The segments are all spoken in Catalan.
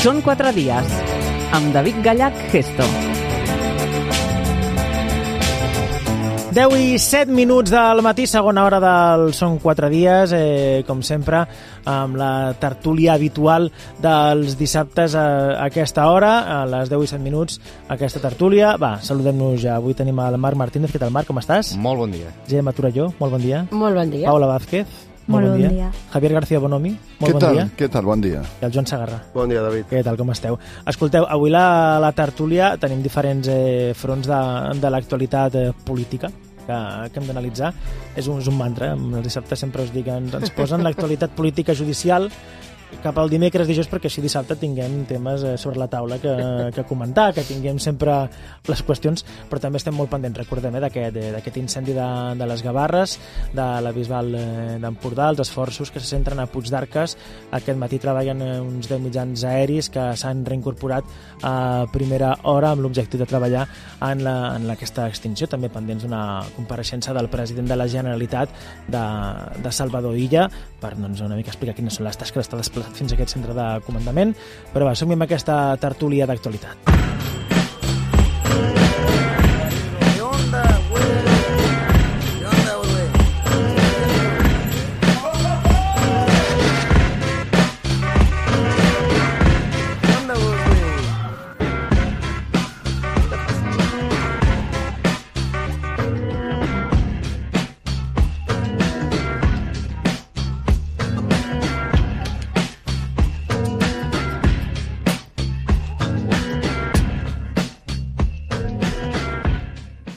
Són 4 dies, amb David Gallach Gesto. 10 i 7 minuts del matí, segona hora del Són 4 dies, com sempre, amb la tertúlia habitual dels dissabtes a aquesta hora, a les 10 i 7 minuts, aquesta tertúlia. Va, saludem-nos ja. Avui tenim el Marc Martínez. Què tal, Marc? Com estàs? Molt bon dia. Gemma Torelló, molt bon dia. Molt bon dia. Paula Vázquez, molt bon dia. Javier García Bonomi, molt bon dia. Què tal? Bon dia. I el Joan Segarra. Bon dia, David. Què tal, com esteu? Escolteu, avui la tertúlia tenim diferents fronts de l'actualitat política que hem d'analitzar. És un mantra, els dissabtes sempre us dic, ens posen l'actualitat política judicial cap al dimecres, dijous, perquè així dissabte tinguem temes sobre la taula que comentar, que tinguem sempre les qüestions, però també estem molt pendents, recordem, d'aquest incendi de les Gavarres, de la Bisbal d'Empordà, els esforços que se centren a Puigdarques. Aquest matí treballen uns 10 mitjans aeris que s'han reincorporat a primera hora amb l'objectiu de treballar en aquesta extinció, també pendents d'una compareixença del president de la Generalitat de Salvador Illa per una mica explicar quines són les tasques que està desplaçant fins a aquest centre de comandament. Però va, som amb aquesta tertúlia d'actualitat.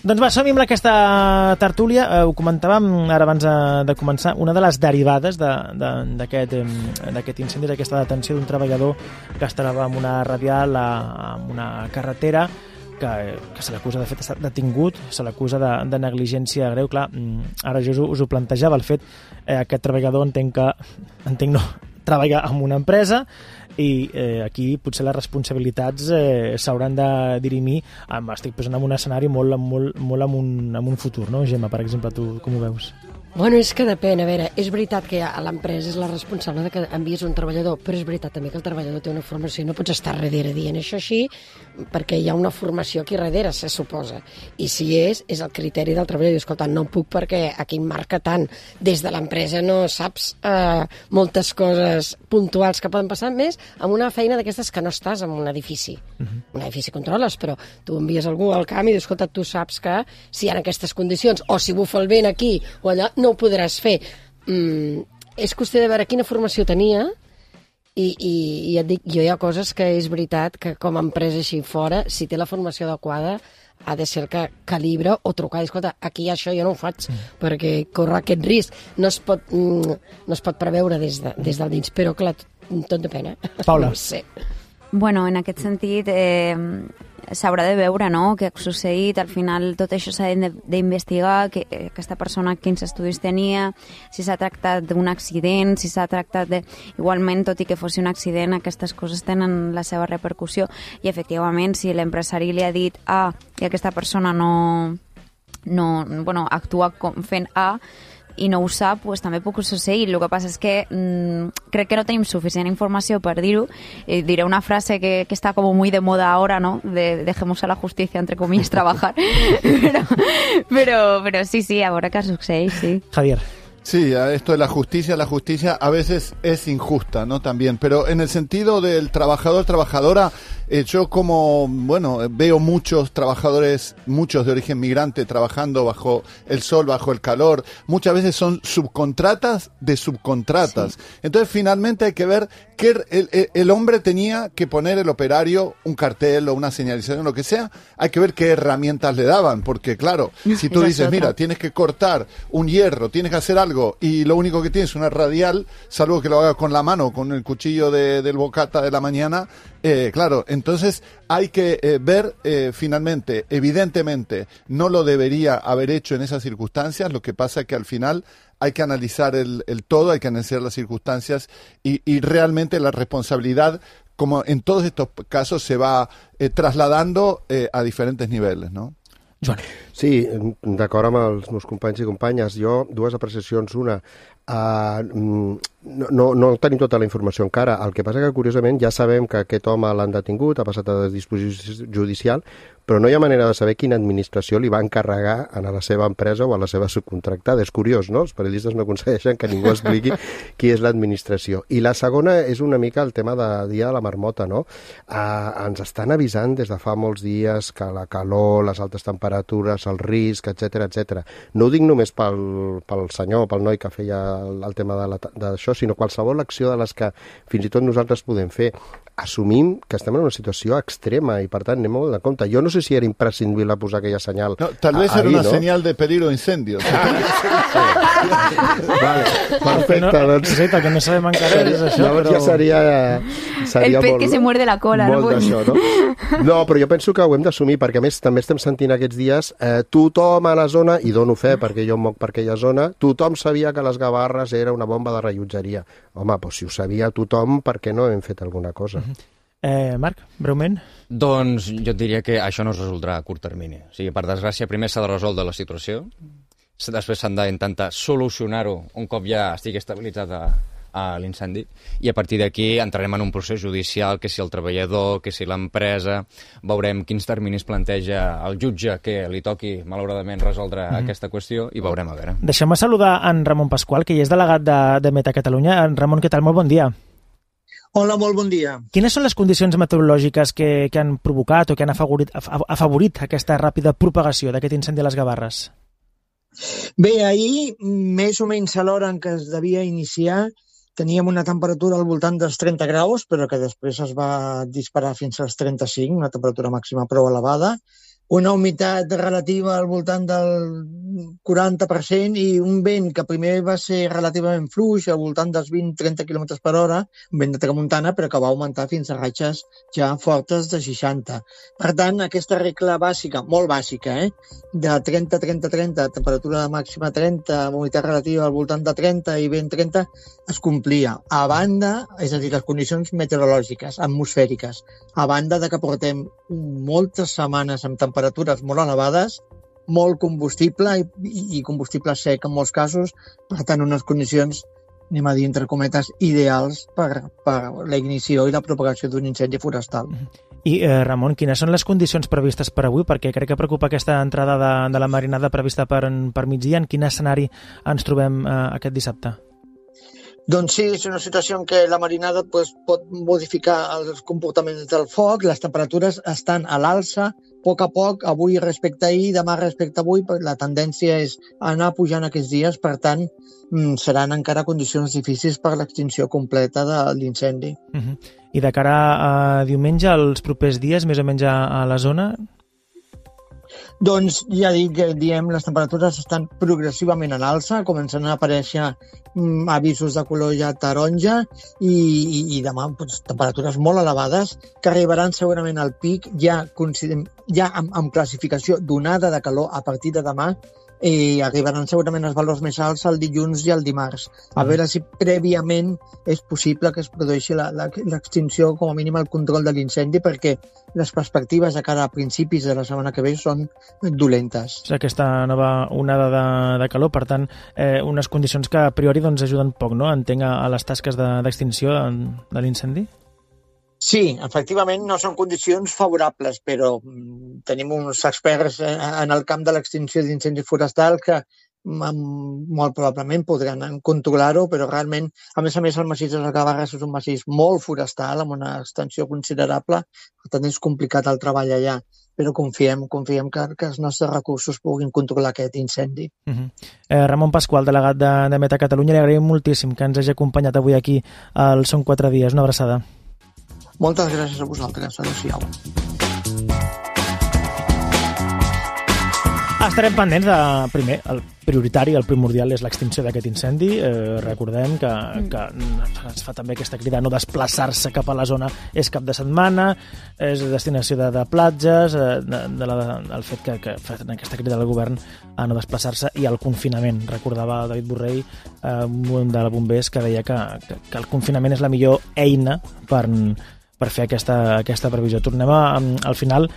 Doncs va, som-hi amb aquesta tertúlia. Ho comentàvem ara abans de començar. Una de les derivades d'aquest incendi, d'aquesta detenció d'un treballador que es troba en una radial, en una carretera, que se l'acusa, de fet, estar detingut, se l'acusa de negligència greu. Clar, ara jo us ho plantejava, el fet, aquest treballador treballa en una empresa i aquí potser les responsabilitats s'hauran de dirimir. Estic posant en un escenari molt en un futur, no? Gemma, per exemple, tu com ho veus? Bueno, és que depèn. A veure, és veritat que l'empresa és la responsable de que envies un treballador, però és veritat també que el treballador té una formació i no pots estar darrere dient això així, perquè hi ha una formació aquí darrere, se suposa. I si és el criteri del treballador. Escolta, no puc perquè aquí em marca tant. Des de l'empresa no saps moltes coses puntuals que poden passar, més amb una feina d'aquestes que no estàs en un edifici. Un edifici controles, però tu envies algú al camp i dius, escolta, tu saps que si hi ha aquestes condicions, o si bufa el vent aquí o allà, no ho podràs fer. És qüestió de veure quina formació tenia i et dic, jo hi ha coses que és veritat que com a empresa així fora, si té la formació adequada, ha de ser el que calibra o trucar i escolta, aquí això jo no ho faig perquè corre aquest risc. No es pot preveure des del dins, però clar, tot depèn. Paula. No sé. Bueno, en aquest sentit s'haurà de veure, no?, què ha succeït. Al final tot això s'ha d'investigar, que aquesta persona quins estudis tenia, si s'ha tractat d'un accident, si s'ha tractat de... Igualment, tot i que fos un accident, aquestes coses tenen la seva repercussió i efectivament si l'empresari li ha dit A i aquesta persona actua fent A i no ho sap, pues també pot succeir. El que passa és que crec que no tenim suficient informació per dir-ho. Diré una frase que està como muy de moda ahora, ¿no? Dejemos a la justicia, entre comillas, trabajar. pero sí, a veure què succeeix, sí. Javier. Sí, esto de la justicia a veces es injusta, ¿no? También, pero en el sentido del trabajador, trabajadora, yo veo muchos trabajadores, muchos de origen migrante trabajando bajo el sol, bajo el calor, muchas veces son subcontratas de subcontratas. Sí. Entonces finalmente hay que ver que el hombre tenía que poner el operario un cartel o una señalización, lo que sea, hay que ver qué herramientas le daban, porque claro, si tú dices, mira, tienes que cortar un hierro, tienes que hacer algo y lo único que tienes es una radial, salvo que lo hagas con la mano, con el cuchillo del bocata de la mañana, claro, entonces hay que ver finalmente, evidentemente no lo debería haber hecho en esas circunstancias, lo que pasa es que al final hay que analizar el todo, hay que analizar las circunstancias y realmente la responsabilidad, como en todos estos casos, se va trasladando a diferentes niveles, ¿no? Joan. Sí, d'acord amb els meus companys i companyes. Jo, dues apreciacions. Una, no tenim tota la informació encara. El que passa que, curiosament, ja sabem que aquest home l'han detingut, ha passat a disposició judicial, però no hi ha manera de saber quina administració li va encarregar a la seva empresa o a la seva subcontractada. És curiós, no? Els periodistes no aconsegueixen que ningú expliqui qui és l'administració. I la segona és una mica el tema de dia de la marmota, no? Ens estan avisant des de fa molts dies que la calor, les altes temperatures, el risc, etc. No ho dic només pel senyor, pel noi que feia el tema d'això, sinó qualsevol acció de les que fins i tot nosaltres podem fer. Assumim que estem en una situació extrema i, per tant, anem molt de compte. Jo no sé si era imprescindible posar aquella senyal. No, tal vez era una senyal de peligro incendio. Vale, perfecte. Sí, que no sabem encara és això. Llavors ja seria el pet que se muerde la cola. Molt d'això, no? No, però jo penso que ho hem d'assumir, perquè a més també estem sentint aquests dies tothom a la zona, i dono fe perquè jo em moc per aquella zona, tothom sabia que les Gavarres era una bomba de rellotgeria. Home, doncs si ho sabia tothom, per què no hem fet alguna cosa? Marc, breument? Doncs jo et diria que això no es resoldrà a curt termini. O sigui, per desgràcia, primer s'ha de resoldre la situació, després s'han d'intentar solucionar-ho un cop ja estigui estabilitzat l'incendi, i a partir d'aquí entrarem en un procés judicial, que si el treballador, que si l'empresa, veurem quins terminis planteja el jutge que li toqui, malauradament, resoldre aquesta qüestió, i veurem a veure. Deixem-me saludar en Ramon Pasqual, que ja és delegat de Meta Catalunya. Ramon, què tal? Molt bon dia. Hola, molt bon dia. Quines són les condicions meteorològiques que han provocat o que han afavorit aquesta ràpida propagació d'aquest incendi a les Gavarres? Bé, ahir, més o menys a l'hora en què es devia iniciar, teníem una temperatura al voltant dels 30 graus, però que després es va disparar fins als 35, una temperatura màxima prou elevada, una humitat relativa al voltant del 40% i un vent que primer va ser relativament fluix, al voltant dels 20-30 km per hora, un vent de tramuntana, però que va augmentar fins a ratxes ja fortes de 60. Per tant, aquesta regla bàsica, molt bàsica, de 30-30-30, temperatura màxima 30, humitat relativa al voltant de 30 i vent 30, es complia. A banda, és a dir, les condicions meteorològiques, atmosfèriques, a banda de que portem moltes setmanes amb temperatures molt elevades, molt combustible i combustible sec en molts casos, per tant, unes condicions, anem a dir, entre cometes, ideals per la ignició i la propagació d'un incendi forestal. I, Ramon, quines són les condicions previstes per avui? Perquè crec que preocupa aquesta entrada de la marinada prevista per migdia. En quin escenari ens trobem aquest dissabte? Doncs sí, és una situació en què la marinada pot modificar els comportaments del foc, les temperatures estan a l'alça, a poc, avui respecte a ahir, demà respecte a avui, la tendència és anar pujant aquests dies, per tant, seran encara condicions difícils per l'extinció completa de l'incendi. I de cara a diumenge, els propers dies, més o menys a la zona? Doncs ja dic, les temperatures estan progressivament en alça, comencen a aparèixer avisos de color ja taronja i demà temperatures molt elevades que arribaran segurament al pic ja amb classificació d'onada de calor a partir de demà i arribaran segurament els valors més alts el dilluns i el dimarts. A veure si prèviament és possible que es produeixi l'extinció, com a mínim el control de l'incendi, perquè les perspectives de cara a principis de la setmana que ve són dolentes. Aquesta nova onada de calor, per tant, unes condicions que a priori ajuden poc, no? Entenc, a les tasques d'extinció de l'incendi? Sí, efectivament no són condicions favorables, però tenim uns experts en el camp de l'extinció d'incendis forestals que molt probablement podran controlar-ho, però realment, a més, el massís de les Gavarres és un massís molt forestal, amb una extensió considerable, per tant és complicat el treball allà, però confiem que els nostres recursos puguin controlar aquest incendi. Ramon Pasqual, delegat de Meta Catalunya, li agraïm moltíssim que ens hagi acompanyat avui aquí al Són 4 dies. Una abraçada. Moltes gràcies a vosaltres. Adéu-siau. Estarem pendents de, primer, el prioritari, el primordial és l'extinció d'aquest incendi. Recordem que es fa també aquesta crida a no desplaçar-se cap a la zona és cap de setmana, és destinació de platges, el fet que fan aquesta crida del govern a no desplaçar-se i el confinament. Recordava David Borrell, un de bombers, que deia que el confinament és la millor eina per fer aquesta previsió. Tornem al final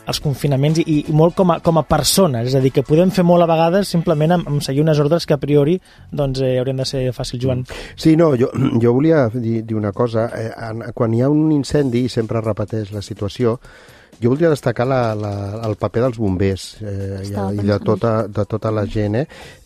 els confinaments i molt com a persones, és a dir, que podem fer molt a vegades simplement amb seguir unes ordres que a priori doncs, haurien de ser fàcils, Joan. Sí, no, jo volia dir una cosa. Quan hi ha un incendi i sempre es repeteix la situació, jo voldria destacar el paper dels bombers i de tota la gent.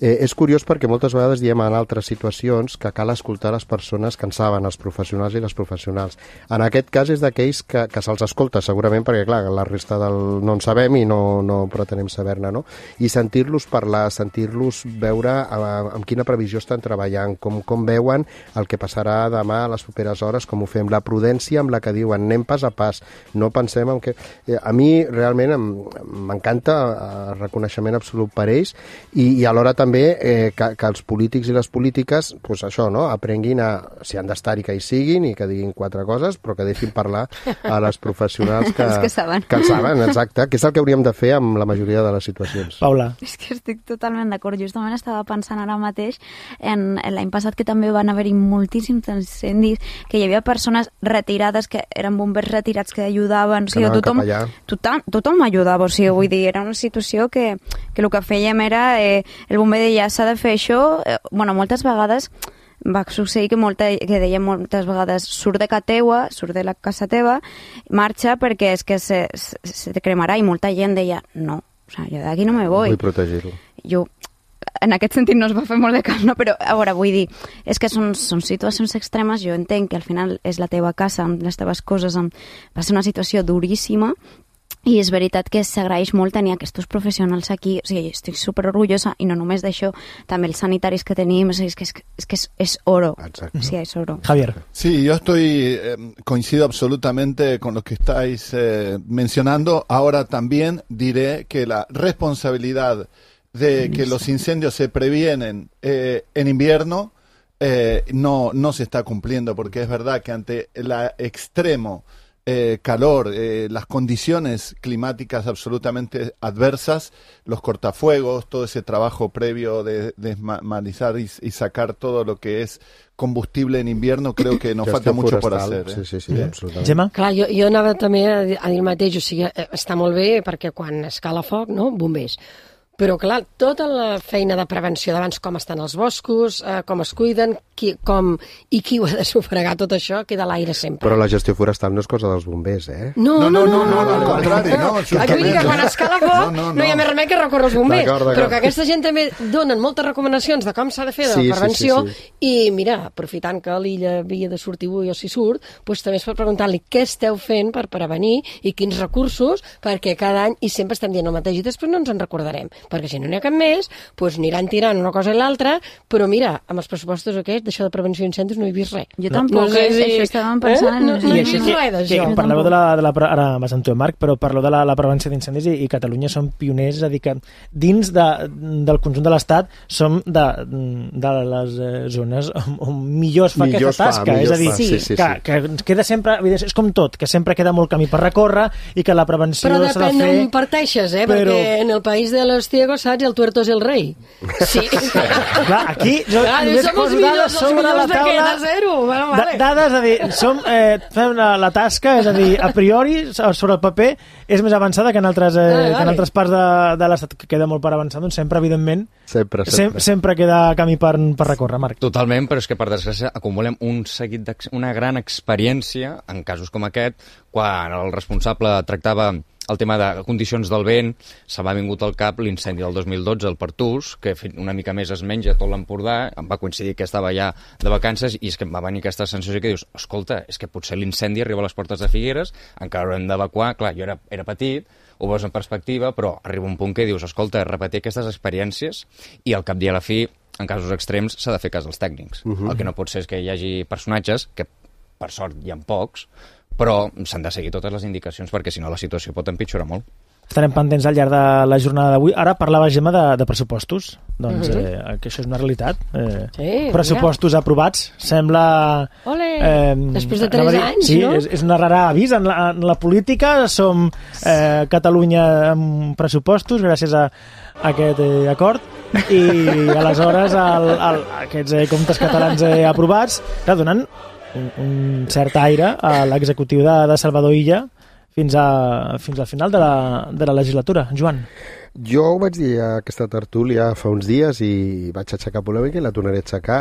És curiós perquè moltes vegades diem en altres situacions que cal escoltar les persones que en saben, els professionals i les professionals. En aquest cas és d'aquells que se'ls escolta, segurament, perquè clar, la resta no en sabem i no pretenem saber-ne, no? I sentir-los parlar, sentir-los veure amb quina previsió estan treballant, com veuen el que passarà demà a les properes hores, com ho fem, la prudència amb la que diuen, anem pas a pas, no pensem en què... A mi realment m'encanta el reconeixement absolut per ells i alhora també que els polítics i les polítiques pues això, no? Aprenguin si han d'estar-hi que hi siguin i que diguin 4 coses, però que deixin parlar a les professionals que saben, exacte, que és el que hauríem de fer amb la majoria de les situacions. Paula. És que estic totalment d'acord. Justament estava pensant ara mateix en l'any passat que també van haver-hi moltíssims incendis, que hi havia persones retirades, que eren bombers retirats que ajudaven, o sigui, tothom m'ajudava, o sigui, vull dir, era una situació que el que fèiem era, el bomber deia, s'ha de fer això, bueno, moltes vegades va succeir que deia moltes vegades surt de casa teua, surt de la casa teva, marxa perquè és que se te cremarà, i molta gent deia, no, o sigui, jo d'aquí no me voy. Vull protegir-lo. Jo, en aquest sentit no es va fer molt de cas, no? Però a veure, vull dir, és que són situacions extremes, jo entenc que al final és la teva casa, amb les teves coses, va ser una situació duríssima, i és veritat que s'agraeix molt tenir aquests professionals aquí, o sigui, estic superorgullosa, i no només d'això, també els sanitaris que tenim, o sigui, és que és oro. Exacto. Sí, es oro. Javier. Sí, yo coincido absolutamente con lo que estáis mencionando. Ahora también diré que la responsabilidad de que los incendios se previenen en invierno no se está cumpliendo, porque es verdad que ante el extremo calor, las condiciones climáticas absolutamente adversas, los cortafuegos, todo ese trabajo previo de desmalizar y sacar todo lo que es combustible en invierno, creo que nos falta mucho por hacer. Sí, absolutament. Gemma? Clar, jo anava també a dir el mateix, o sigui, està molt bé perquè quan escala foc, no?, bombers. Però, clar, tota la feina de prevenció d'abans, com estan els boscos, com es cuiden, qui ho ha de sufragar, tot això queda a l'aire sempre. Però la gestió forestal no és cosa dels bombers, eh? No, al contrari, no. Vull dir que quan escala foc no hi ha més remei que recórrer als bombers, d'acord. però que aquesta gent també donen moltes recomanacions de com s'ha de fer de la prevenció, i mira, aprofitant que l'Illa havia de sortir avui o si surt, doncs també es pot preguntar-li què esteu fent per prevenir i quins recursos, perquè cada any, i sempre estem dient el mateix i després no ens en recordarem, perquè si no n'hi ha cap més, doncs aniran tirant una cosa i l'altra, però mira, amb els pressupostos aquests, d'això de prevenció d'incendis no he vist res. Jo tampoc, això estàvem pensant... No he vist res d'això. Parleu ara vas amb tu, Marc, però parleu de la prevenció d'incendis i Catalunya som pioners, és a dir, que dins del conjunt de l'Estat som de les zones on millor es fa aquesta tasca, és a dir, que queda sempre, és com tot, que sempre queda molt camí per recórrer i que la prevenció s'ha de fer... Però depèn d'on parteixes, perquè en el país de los ciegos, saps, el tuerto és el rei. Sí. Clar, aquí jo només poso dades sobre la taula. Dades, és a dir, fem la tasca, és a dir, a priori, sobre el paper, és més avançada que en altres parts de l'Estat, que queda molt per avançar, doncs sempre, evidentment, sempre queda camí per recórrer, Marc. Totalment, però és que, per desgràcia, acumulem una gran experiència en casos com aquest, quan el responsable tractava el tema de condicions del vent, se m'ha vingut al cap l'incendi del 2012 al Pertús, que una mica més es menja tot l'Empordà, em va coincidir que estava ja de vacances i és que em va venir aquesta sensació que dius, escolta, és que potser l'incendi arriba a les portes de Figueres, encara haurem d'evacuar, clar, jo era petit, ho veus en perspectiva, però arriba un punt que dius, escolta, repetir aquestes experiències i al cap i a la fi, en casos extrems, s'ha de fer cas als tècnics. El que no pot ser és que hi hagi personatges, que per sort hi ha pocs, però s'han de seguir totes les indicacions perquè si no la situació pot empitjorar molt. Estarem pendents al llarg de la jornada d'avui. Ara parlava, Gemma, de pressupostos. Doncs que això és una realitat. Pressupostos aprovats. Sembla... Ole! Després de 3 anys, sí, no? És una rara avís. En la política som Catalunya amb pressupostos gràcies a aquest acord i aleshores aquests comptes catalans aprovats donen un cert aire a l'executiu de Salvador Illa fins al final de la legislatura. Joan. Jo ho vaig dir a aquesta tertúlia fa uns dies i vaig aixecar polèmica i la tornaré a aixecar,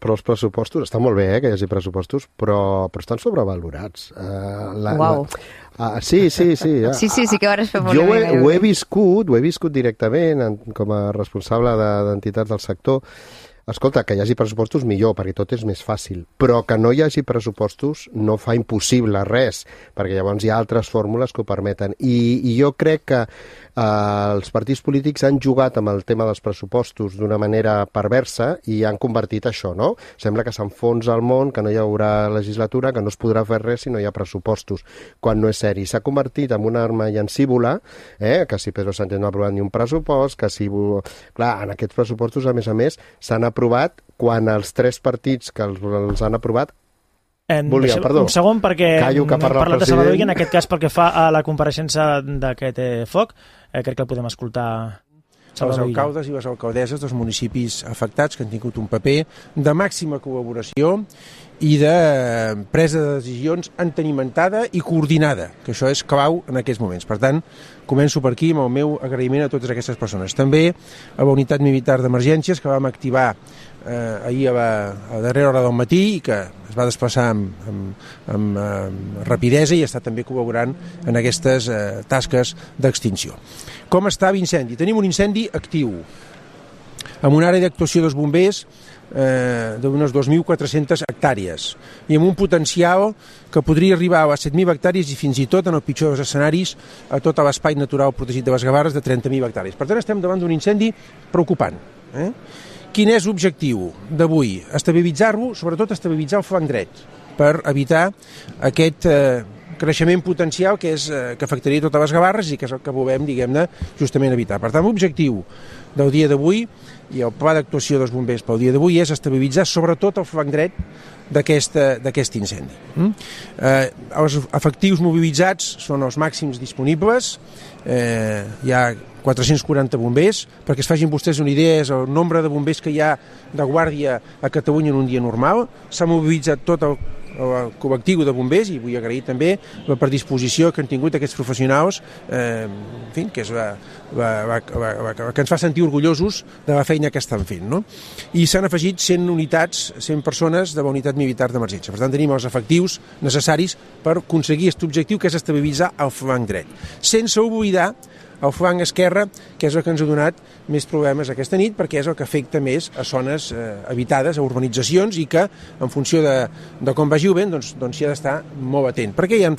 però els pressupostos, està molt bé que hi hagi pressupostos, però estan sobrevalorats. Uau. Sí. Ja. Sí que vas fer polèmica. Jo ho he viscut directament com a responsable d'entitats del sector. Escolta, que hi hagi pressupostos millor, perquè tot és més fàcil, però que no hi hagi pressupostos no fa impossible res, perquè llavors hi ha altres fórmules que ho permeten. I jo crec que els partits polítics han jugat amb el tema dels pressupostos d'una manera perversa i han convertit això, no? Sembla que s'enfonsa el món, que no hi haurà legislatura, que no es podrà fer res si no hi ha pressupostos, quan no és seri. S'ha convertit en una arma llancívola, que si Pedro Sánchez no ha aprovat ni un pressupost, que si... Clar, en aquests pressupostos, a més, s'han aprovat quan els 3 partits que els han aprovat un segon, perquè hem parlat de Salvador i en aquest cas pel que fa a la compareixença d'aquest foc, crec que el podem escoltar. Els alcaldes i les alcaldesses dels municipis afectats que han tingut un paper de màxima col·laboració i de presa de decisions entenimentada i coordinada, que això és clau en aquests moments. Per tant, començo per aquí amb el meu agraïment a totes aquestes persones. També a la unitat militar d'emergències que vam activar ahir a darrera hora del matí i que es va desplaçar amb rapidesa i està també col·laborant en aquestes tasques d'extinció. Com està l'incendi? Tenim un incendi actiu amb una àrea d'actuació dels bombers d'unes 2.400 hectàrees i amb un potencial que podria arribar a les 7.000 hectàrees i fins i tot, en el pitjor dels escenaris, a tot l'espai natural protegit de les Gavarres de 30.000 hectàrees. Per tant, estem davant d'un incendi preocupant. Quin és l'objectiu d'avui? Estabilitzar-lo, sobretot estabilitzar el flanc dret, per evitar aquest creixement potencial que afectaria totes les Gavarres i que és el que volem, diguem-ne, justament evitar. Per tant, l'objectiu del dia d'avui i el pla d'actuació dels bombers pel dia d'avui és estabilitzar sobretot el flanc dret d'aquest incendi. Els efectius mobilitzats són els màxims disponibles, hi ha 440 bombers, perquè es facin vostès una idea, és el nombre de bombers que hi ha de guàrdia a Catalunya en un dia normal. S'ha mobilitzat tot el col·lectiu de bombers i vull agrair també la predisposició que han tingut aquests professionals, en fi, que és que ens fa sentir orgullosos de la feina que estan fent, no? I s'han afegit 100 unitats, 100 persones de la unitat militar d'emergència. Per tant, tenim els efectius necessaris per aconseguir aquest objectiu, que és estabilitzar el flanc dret. Sense oblidar el flanc esquerre, que és el que ens ha donat més problemes aquesta nit, perquè és el que afecta més a zones habitades, a urbanitzacions, i que, en funció de com vagi el vent, doncs s'hi ha d'estar molt atent, perquè hi ha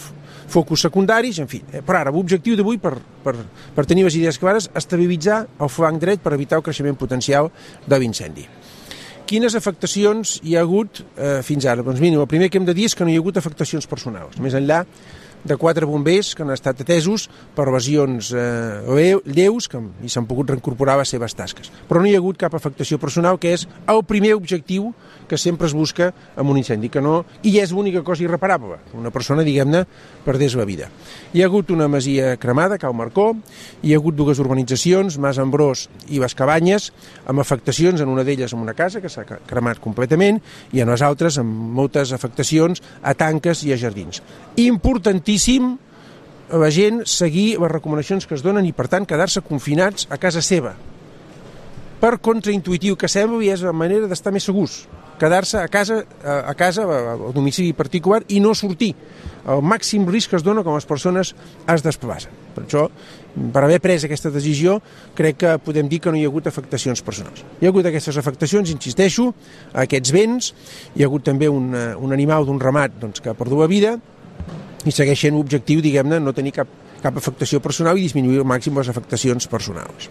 focus secundaris, en fi. Però ara, l'objectiu d'avui, per tenir les idees clares, estabilitzar el flanc dret per evitar el creixement potencial de l'incendi. Quines afectacions hi ha hagut fins ara? Doncs mira, el primer que hem de dir és que no hi ha hagut afectacions personals, més enllà de 4 bombers que han estat atesos per lesions lleus i s'han pogut reincorporar a les seves tasques. Però no hi ha hagut cap afectació personal, que és el primer objectiu que sempre es busca en un incendi, i és l'única cosa irreparable. Una persona, diguem-ne, perdés la vida. Hi ha hagut una masia cremada, Cal Marcó, hi ha hagut 2 urbanitzacions, Mas Ambrós i les Cabanyes, amb afectacions, en una d'elles en una casa que s'ha cremat completament, i en les altres amb moltes afectacions a tanques i a jardins. Importantíssim la gent seguir les recomanacions que es donen i, per tant, quedar-se confinats a casa seva. Per contraintuitiu que sembli, és la manera d'estar més segurs. Quedar-se a casa, al domicili particular, i no sortir. El màxim risc que es dona quan les persones es desplacen. Per això, per haver pres aquesta decisió, crec que podem dir que no hi ha hagut afectacions personals. Hi ha hagut aquestes afectacions, insisteixo, a aquests béns. Hi ha hagut també un animal d'un ramat que ha perdut la vida, i segueix sent l'objectiu, diguem-ne, no tenir cap afectació personal i disminuir al màxim les afectacions personals.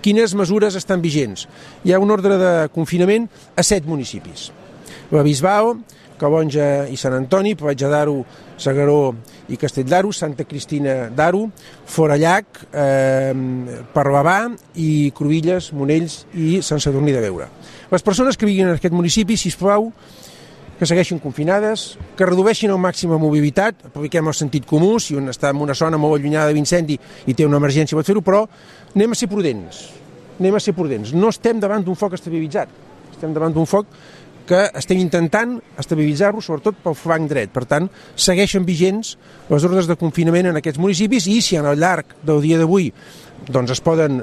Quines mesures estan vigents? Hi ha un ordre de confinament a 7 municipis. La Bisbal, Calonja i Sant Antoni, Platja d'Aro, S'Agaró i Castell d'Aro, Santa Cristina d'Aro, Forallac, Parlavà i Cruïlles, Monells i Sant Sadurní de Beura. Les persones que vivien en aquest municipi, sisplau, que segueixin confinades, que redueixin al màxim la mobilitat, apliquem el sentit comú, si un està en una zona molt allunyada de l'incendi i té una emergència pot fer-ho, però anem a ser prudents. No estem davant d'un foc estabilitzat, estem davant d'un foc que estem intentant estabilitzar-los, sobretot pel flanc dret. Per tant, segueixen vigents les ordres de confinament en aquests municipis i si al llarg del dia d'avui doncs es poden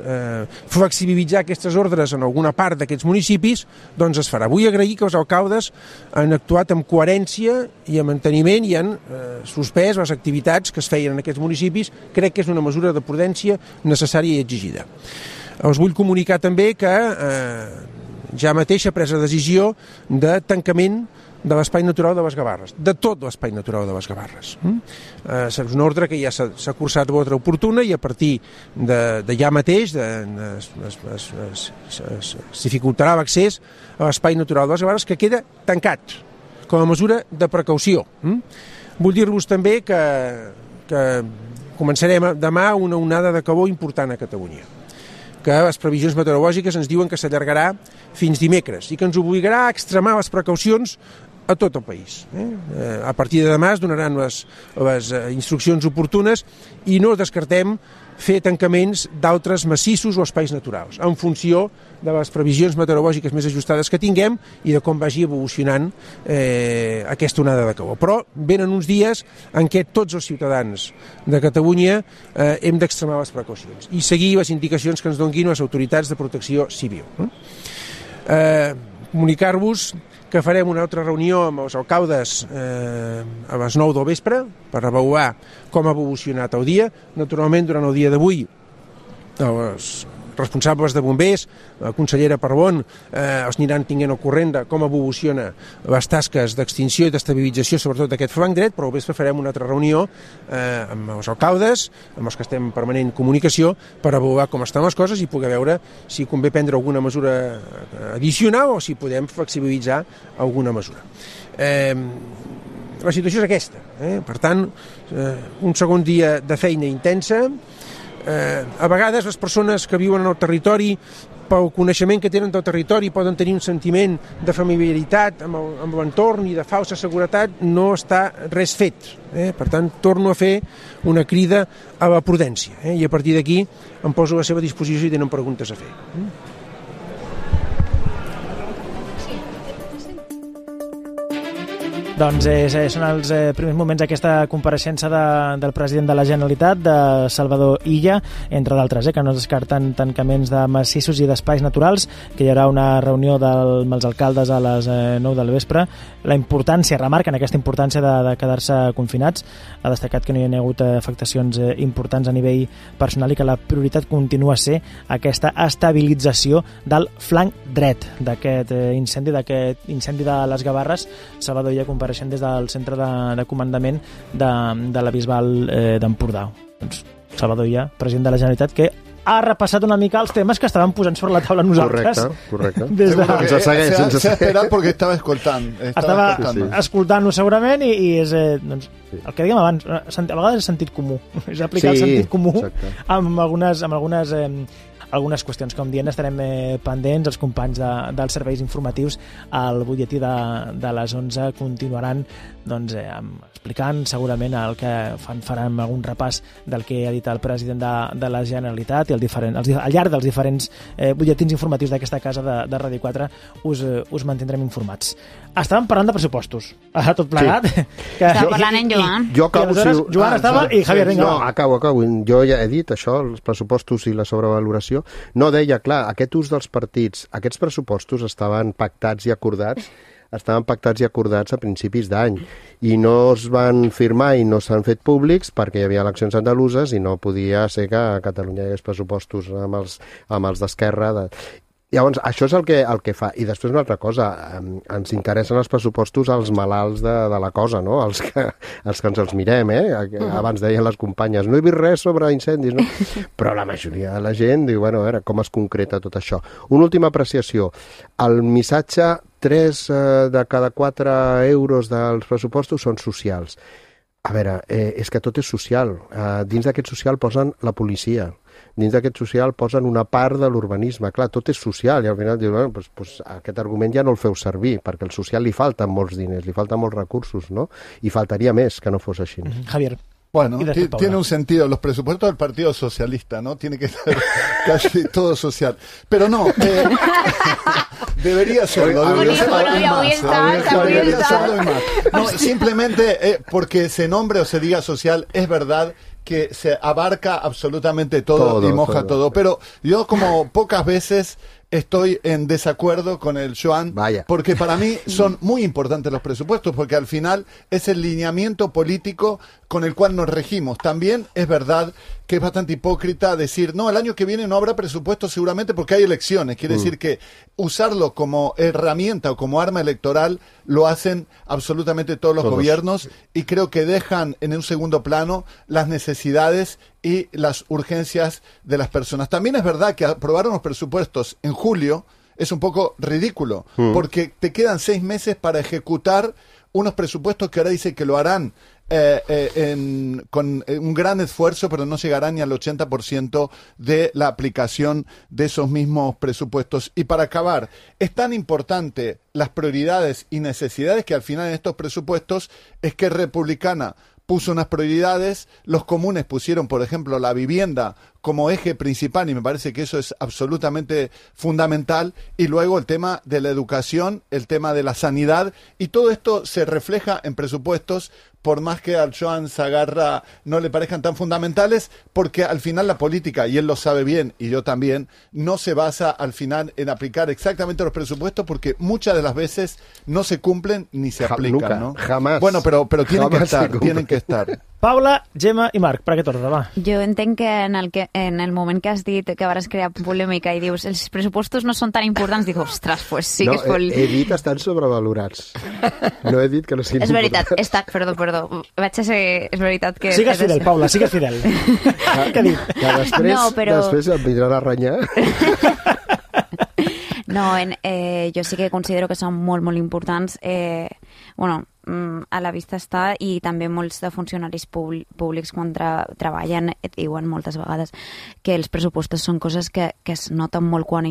flexibilitzar aquestes ordres en alguna part d'aquests municipis, doncs es farà. Vull agrair que els alcaldes han actuat amb coherència i amb manteniment i han suspès les activitats que es feien en aquests municipis. Crec que és una mesura de prudència necessària i exigida. Els vull comunicar també que ja mateix ha pres la decisió de tancament de l'Espai Natural de les Gavarres, de tot l'Espai Natural de les Gavarres. És una ordre que ja s'ha cursat l'ordre oportuna i a partir de ja mateix es dificultarà l'accés a l'Espai Natural de les Gavarres, que queda tancat com a mesura de precaució. Vull dir-vos també que començarem demà una onada de calor important a Catalunya, que les previsions meteorològiques ens diuen que s'allargarà fins dimecres i que ens obligarà a extremar les precaucions a tot el país. A partir de demà es donaran les instruccions oportunes i no descartem fer tancaments d'altres massissos o espais naturals, en funció de les previsions meteorològiques més ajustades que tinguem i de com vagi evolucionant aquesta onada de calor. Però venen uns dies en què tots els ciutadans de Catalunya hem d'extremar les precaucions i seguir les indicacions que ens donguin les autoritats de protecció civil. Comunicar-vos que farem una altra reunió amb els alcaldes a les 9 del vespre per avaluar com ha evolucionat el dia. Naturalment, durant el dia d'avui, els responsables de bombers, la consellera Parbon, els aniran tinguent al corrent de com evoluciona les tasques d'extinció i d'estabilització, sobretot d'aquest flanc dret, però al vespre farem una altra reunió amb els alcaldes, amb els que estem en permanent comunicació, per avaluar com estan les coses i poder veure si convé prendre alguna mesura addicional o si podem flexibilitzar alguna mesura. La situació és aquesta. Per tant, un segon dia de feina intensa. A vegades les persones que viuen en el territori, pel coneixement que tenen del territori, poden tenir un sentiment de familiaritat amb l'entorn i de falsa seguretat. No està res fet. Per tant, torno a fer una crida a la prudència, i a partir d'aquí em poso a la seva disposició si tenen preguntes a fer. Doncs són els primers moments d'aquesta compareixença del president de la Generalitat, de Salvador Illa, entre d'altres, que no es descarten tancaments de massissos i d'espais naturals, que hi haurà una reunió amb els alcaldes a les 9 del vespre. La importància, remarquen aquesta importància de quedar-se confinats. Ha destacat que no hi ha hagut afectacions importants a nivell personal i que la prioritat continua a ser aquesta estabilització del flanc dret d'aquest incendi de les Gavarres. Salvador Illa compareixent des del centre de comandament de la Bisbal d'Empordà. Doncs Salvador Illa, president de la Generalitat, que ha repassat una mica els temes que estaven posant sobre la taula nosaltres. Correcte. Se ha esperat perquè estava escoltant. Estava escoltant-ho segurament i és doncs, el que dèiem abans, a vegades és sentit comú. És aplicar el sentit comú amb algunes qüestions. Com dient, estarem pendents. Els companys dels serveis informatius al butlletí de les 11 continuaran explicant segurament el que farem algun repàs del que ha dit el president de la Generalitat i al llarg dels diferents butlletins informatius d'aquesta casa de Ràdio 4 us mantindrem informats. Estàvem parlant de pressupostos, tot plegat. Sí. Estava parlant en Joan. Jo acabo, Joan estava i Javier, vinga. No, acabo. Jo ja he dit això, els pressupostos i la sobrevaloració. No, deia, clar, aquest ús dels partits, aquests pressupostos estaven pactats i acordats a principis d'any i no es van firmar i no s'han fet públics perquè hi havia eleccions andaluses i no podia ser que a Catalunya hi hagués pressupostos amb els d'Esquerra. Llavors, això és el que fa. I després una altra cosa, ens interessen els pressupostos als malalts de la cosa, no? Els que ens els mirem, Abans deien les companyes, no he vist res sobre incendis, no? Però la majoria de la gent diu, bueno, a veure, com es concreta tot això. Una última apreciació. El missatge, 3 de cada 4 euros dels pressupostos són socials. A veure, és que tot és social. Dins d'aquest social posen la policia. Dins d'aquest social posen una part de l'urbanisme. Clar, tot és social i al final diuen, doncs aquest argument ja no el feu servir, perquè al social li falten molts diners, li falten molts recursos, ¿no? I faltaria més que no fos així. Javier. Bueno, tiene un sentido. Los presupuestos del Partido Socialista, ¿no? Tiene que ser casi todo social. Pero no. Debería serlo. No, simplemente porque se nombre o se diga social, es verdad que se abarca absolutamente todo y moja todo. Pero yo, como pocas veces, estoy en desacuerdo con el Joan, porque para mí son muy importantes los presupuestos, porque al final es el lineamiento político con el cual nos regimos. También es verdad que es bastante hipócrita decir, no, el año que viene no habrá presupuesto seguramente porque hay elecciones. Quiere decir que usarlo como herramienta o como arma electoral lo hacen absolutamente todos los gobiernos, y creo que dejan en un segundo plano las necesidades y las urgencias de las personas. También es verdad que aprobar unos presupuestos en julio es un poco ridículo, porque te quedan 6 meses para ejecutar unos presupuestos que ahora dicen que lo harán con un gran esfuerzo, pero no llegará ni al 80% de la aplicación de esos mismos presupuestos. Y para acabar, es tan importante las prioridades y necesidades que al final en estos presupuestos es que Republicana puso unas prioridades, los comunes pusieron, por ejemplo, la vivienda como eje principal, y me parece que eso es absolutamente fundamental, y luego el tema de la educación, el tema de la sanidad, y todo esto se refleja en presupuestos, por más que al Joan Sagarra no le parezcan tan fundamentales, porque al final la política, y él lo sabe bien, y yo también, no se basa al final en aplicar exactamente los presupuestos, porque muchas de las veces no se cumplen ni se aplican, ¿no? Jamás. Bueno, pero tienen que estar. Paula, Gemma i Marc, per aquest ordre, va. Jo entenc que en el moment que has dit que vas crear polèmica i dius els pressupostos no són tan importants, dic, ostres, pues sí que és molt... He dit estan sobrevalorats. No he dit que no siguin És veritat, perdó. Vaig a ser... És veritat que... Sigues fidel, Paula, sigues fidel. Què ha dit? Que després em vindran a renyar. No, jo sí que considero que són molt, molt importants. A la vista està, i també molts de funcionaris públics quan treballen diuen moltes vegades que els pressupostos són coses que es noten molt quan no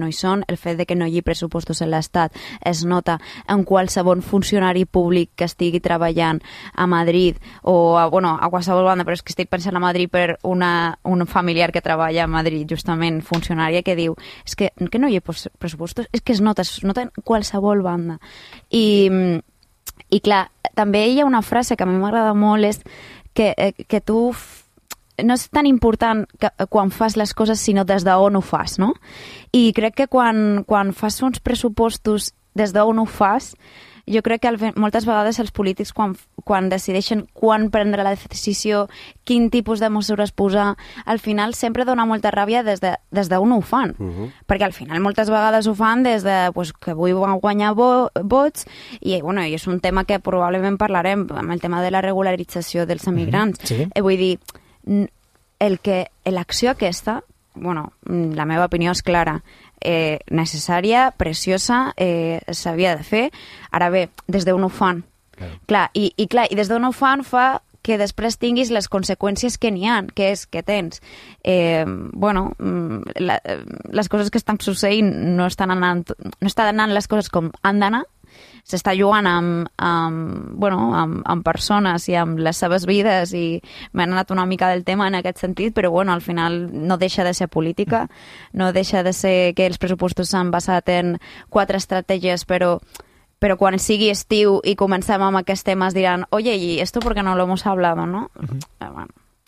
hi són. El fet de que no hi hagi pressupostos en l'Estat es nota en qualsevol funcionari públic que estigui treballant a Madrid o a qualsevol banda, però és que estic pensant a Madrid per un familiar que treballa a Madrid, justament funcionària, que diu és que no hi ha pressupostos, és que es nota en qualsevol banda. I clar, també hi ha una frase que a mi m'agrada molt, és que tu no és tan important quan fas les coses, sinó des d'on ho fas, no? I crec que quan fas uns pressupostos des d'on ho fas, jo crec que moltes vegades els polítics quan decideixen quan prendre la decisió, quin tipus de mesures posar, al final sempre dona molta ràbia des d'on ho fan. Perquè al final moltes vegades ho fan des de que vull guanyar vots, i és un tema que probablement parlarem amb el tema de la regularització dels emigrants. Vull dir, l'acció aquesta, la meva opinió és clara, necessària, preciosa, s'havia de fer. Ara bé, des d'on ho fan? Clar, i des d'on ho fan fa que després tinguis les conseqüències que n'hi ha, que és que tens les coses que estan succeint no estan anant les coses com han d'anar, s'està jugant amb persones i amb les seves vides, i m'he anat una mica del tema en aquest sentit, però al final no deixa de ser política, no deixa de ser que els pressupostos s'han basat en 4 estratègies, però quan sigui estiu i comencem amb aquests temes diran, oye, ¿y esto por qué no lo hemos hablado, no?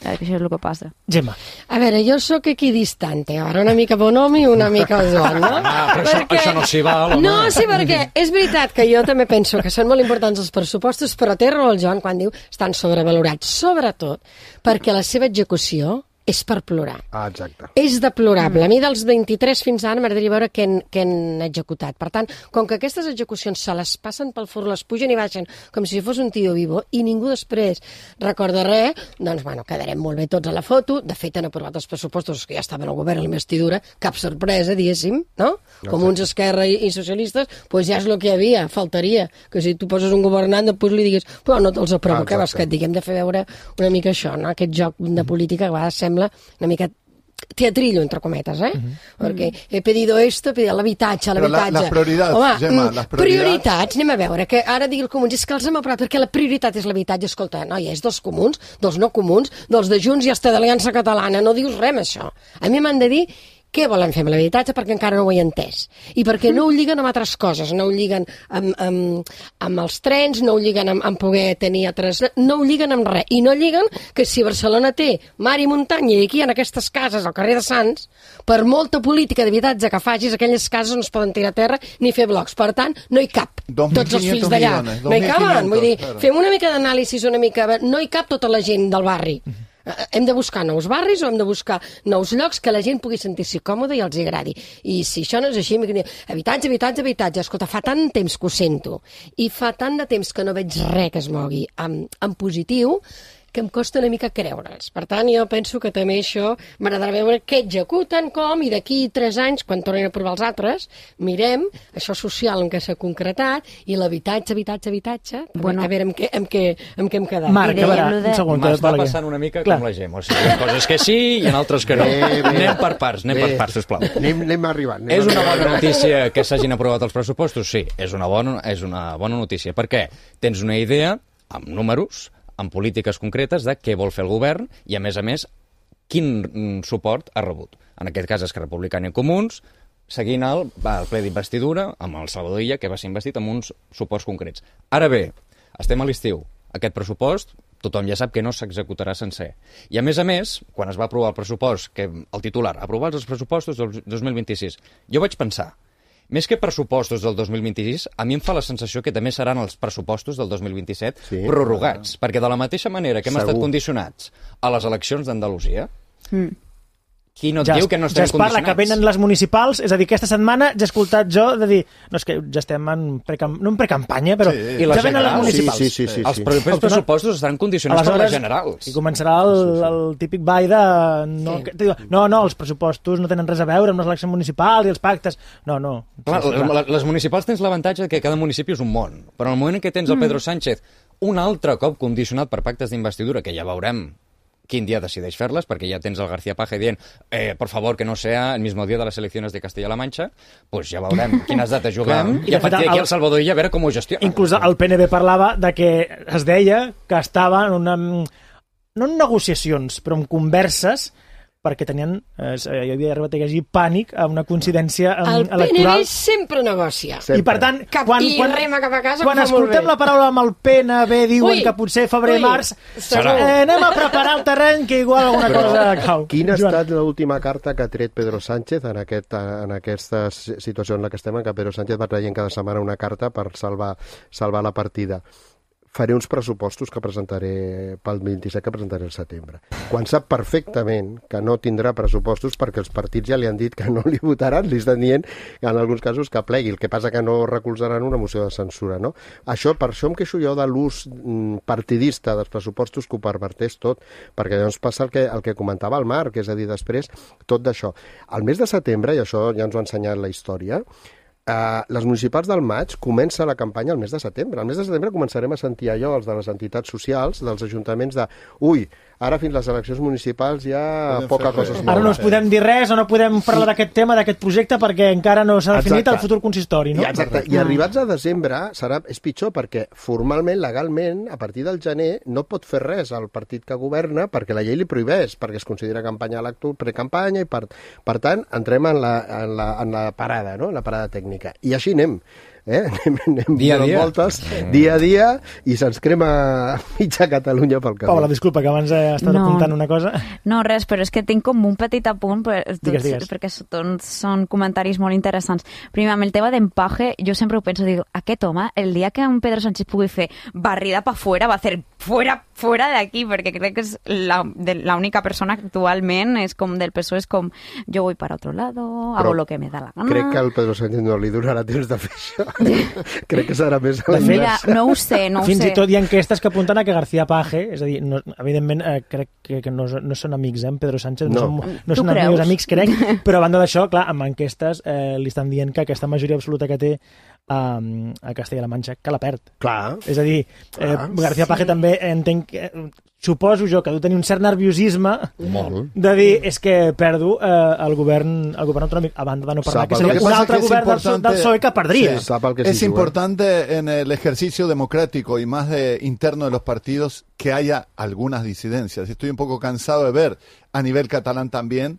Això és el que passa. Gemma. A veure, jo sóc equidistante, ara una mica Bonomi i una mica Joan, no? Però això no s'hi val, home. No, sí, perquè és veritat que jo també penso que són molt importants els pressupostos, però té raó el Joan quan diu estan sobrevalorats, sobretot perquè la seva execució és per plorar. Exacte. És deplorable. A mi dels 23 fins ara m'agradaria veure què han executat. Per tant, com que aquestes execucions se les passen pel forn, les pugen i baixen com si fos un tio vivo i ningú després recorda res, doncs, quedarem molt bé tots a la foto. De fet, han aprovat els pressupostos que ja estaven al govern a l'investidura. Cap sorpresa, diguéssim, no? Com uns Esquerra i socialistes, doncs ja és el que hi havia. Faltaria que si tu poses un governant, després li diguis, però no te'ls aprovo. Què vas que et digui? Hem de fer veure una mica això, no? Aquest joc de política que a vegades sembla una mica teatrillo, entre cometes, Perquè he pedido esto, he pedido l'habitatge. Les prioritats, Gemma, les prioritats, anem a veure, que ara digui el comuns, és que els hem aprovat perquè la prioritat és l'habitatge. Escolta, noia, és dels comuns, dels no comuns, dels de Junts i hasta de l'Aliança Catalana, no dius res, això. A mi m'han de dir què volen fer amb l'habitatge, perquè encara no ho he entès. I perquè no ho lliguen amb altres coses, no ho lliguen amb els trens, no ho lliguen amb poder tenir altres... No ho lliguen amb res. I no lliguen que si Barcelona té mar i muntanya i aquí en aquestes cases, al carrer de Sants, per molta política d'habitatge que facis, aquelles cases no es poden tirar a terra ni fer blocs. Per tant, no hi cap tots els fills d'allà. No hi caben. Vull dir, fem una mica d'anàlisi, una mica... No hi cap tota la gent del barri. Hem de buscar nous barris o hem de buscar nous llocs que la gent pugui sentir-s'hi còmode i els agradi. I si això no és així, habitatge, habitatge, habitatge. Escolta, fa tant temps que ho sento i fa tant de temps que no veig res que es mogui en positiu que em costa una mica creure'ls. Per tant, jo penso que també això m'agradarà veure què executen, com, i d'aquí 3 anys, quan tornin a provar els altres, mirem això social en què s'ha concretat i l'habitatge, a veure amb què hem quedat. Marc, a veure, un segon. M'està passant una mica com la Gemma. O sigui, hi ha coses que sí i en altres que no. Anem per parts, sisplau. Anem arribant. És una bona notícia que s'hagin aprovat els pressupostos? Sí, és una bona notícia. Per què? Tens una idea, amb números, amb polítiques concretes de què vol fer el govern i, a més, quin suport ha rebut. En aquest cas, Esquerra Republicana i Comuns, seguint el ple d'investidura amb el Salvador Illa, que va ser investit amb uns suports concrets. Ara bé, estem a l'estiu. Aquest pressupost, tothom ja sap que no s'executarà sencer. I, a més, quan es va aprovar el pressupost, que el titular, aprovar els pressupostos del 2026, jo vaig pensar, més que pressupostos del 2026, a mi em fa la sensació que també seran els pressupostos del 2027 prorrogats, perquè de la mateixa manera que hem estat condicionats a les eleccions d'Andalusia, qui no et diu que no estem condicionats? Ja es parla que venen les municipals, és a dir, aquesta setmana ja he escoltat jo de dir, no, és que ja estem no en precampanya, però ja venen les municipals. Sí. Els propers pressupostos estaran condicionats per les generals. I començarà el típic ball de... No, els pressupostos no tenen res a veure amb les eleccions municipals i els pactes. No. Clar, les municipals tens l'avantatge que cada municipi és un món, però en el moment en què tens el Pedro Sánchez un altre cop condicionat per pactes d'investidura, que ja veurem quin dia decideix fer-les, perquè ja tens el García Paje dient por favor que no sea el mismo día de las elecciones de Castilla-La Mancha, pues ja veurem quines dates juguem i a partir d'aquí el Salvador Illa a veure com ho gestiona. Inclús el PNB parlava de que es deia que estava en no en negociacions, però en converses perquè tenien, hi havia arribat a llegir pànic a una coincidència electoral. El PNB sempre negocia. I per tant, rema cap a casa, quan escoltem la paraula amb el PNB diuen que potser febrer-març anem a preparar el terreny que igual alguna cosa cau. Quina ha estat l'última carta que ha tret Pedro Sánchez en aquesta situació en la que estem, en què Pedro Sánchez va traient cada setmana una carta per salvar la partida? Faré uns pressupostos que presentaré pel 27, que presentaré al setembre. Quan sap perfectament que no tindrà pressupostos perquè els partits ja li han dit que no li votaran, li estan dient en alguns casos que plegui, el que passa que no recolzaran una moció de censura, no? Per això em queixo jo de l'ús partidista dels pressupostos que ho perverteix tot, perquè llavors passa el que comentava el Marc, és a dir, després tot d'això. Al mes de setembre, i això ja ens ho ha ensenyat la història, les municipals del maig comença la campanya al mes de setembre. Al mes de setembre començarem a sentir allò, els de les entitats socials, dels ajuntaments ara fins les eleccions municipals ja poca cosa es mou. Ara no us podem dir res o no podem parlar d'aquest tema, d'aquest projecte, perquè encara no s'ha definit el futur consistori, no? I arribats a desembre és pitjor, perquè formalment, legalment, a partir del gener no pot fer res al partit que governa perquè la llei li prohibeix, perquè es considera campanya precampanya i per tant entrem en la parada, no? En la parada tècnica. I així anem. Anem dia a dia. Voltes, dia a dia, i se'ns crema mitja Catalunya pel camí. Paula, disculpa, que abans estava apuntant una cosa. No, res, però és que tinc com un petit apunt, digues. perquè són comentaris molt interessants. Primer, amb el tema d'empaje, jo sempre ho penso, dic, aquest home, el dia que un Pedro Sánchez pugui fer barrida pa fuera, va a hacer fuera de aquí, perquè crec que és la única persona que actualment és com del PSOE, és com, jo voy para otro lado, hago lo que me da la gana. Crec que al Pedro Sánchez no li donarà temps de fer això. Crec que serà més a la Mira, no ho sé. Fins i tot hi ha enquestes que apunten a que García Paje, és a dir, evidentment crec que no són amics, Pedro Sánchez, no són meus amics, crec, però a banda d'això, clar, amb enquestes li estan dient que aquesta majoria absoluta que té a Castella-La Manxa, que la perd. Clar. És a dir, García Paje també entenc que... Suposo jo que deu tenir un cert nerviosisme de dir, és que perdo el govern autonòmic, a banda de no parlar, que seria un altre govern del PSOE que perdria. Es importante en el ejercicio democrático y más interno de los partidos que haya algunas disidencias. Estoy un poco cansado de ver a nivel catalán también